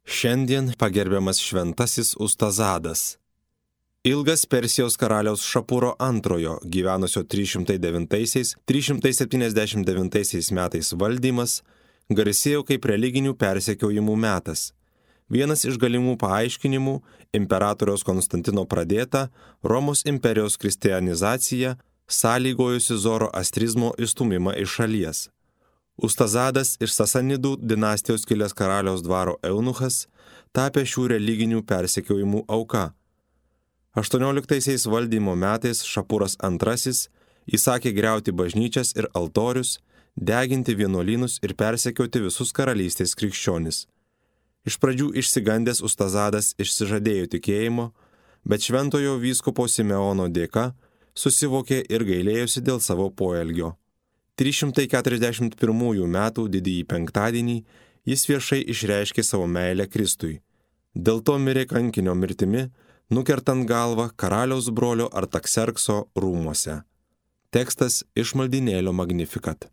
Šiandien pagerbiamas šventasis Ustazadas. Ilgas Persijos karaliaus Šapuro II gyvenusio 309–379 metais valdymas garsėjo kaip religinių persekiojimų metas. Vienas iš galimų paaiškinimų – imperatoriaus Konstantino pradėta Romos imperijos kristianizacija sąlygojusi zoroastrizmo išstūmimą iš šalies. Ustazadas iš Sasanidų dinastijos kilęs karaliaus dvaro eunuchas tapė šių religinių persekiojimų auka. 18 valdymo metais Šapuras II įsakė griauti bažnyčias ir altorius, deginti vienuolynus ir persekioti visus karalystės krikščionis. Iš pradžių išsigandęs Ustazadas išsižadėjo tikėjimo, bet šventojo vyskupo Simeono dėka susivokė ir gailėjosi dėl savo poelgio. 341 metų didįjį penktadienį jis viešai išreiškė savo meilę Kristui. Dėl to mirė kankinio mirtimi, nukertant galvą karaliaus brolio Artakserkso rūmuose. Tekstas iš maldynėlio Magnificat.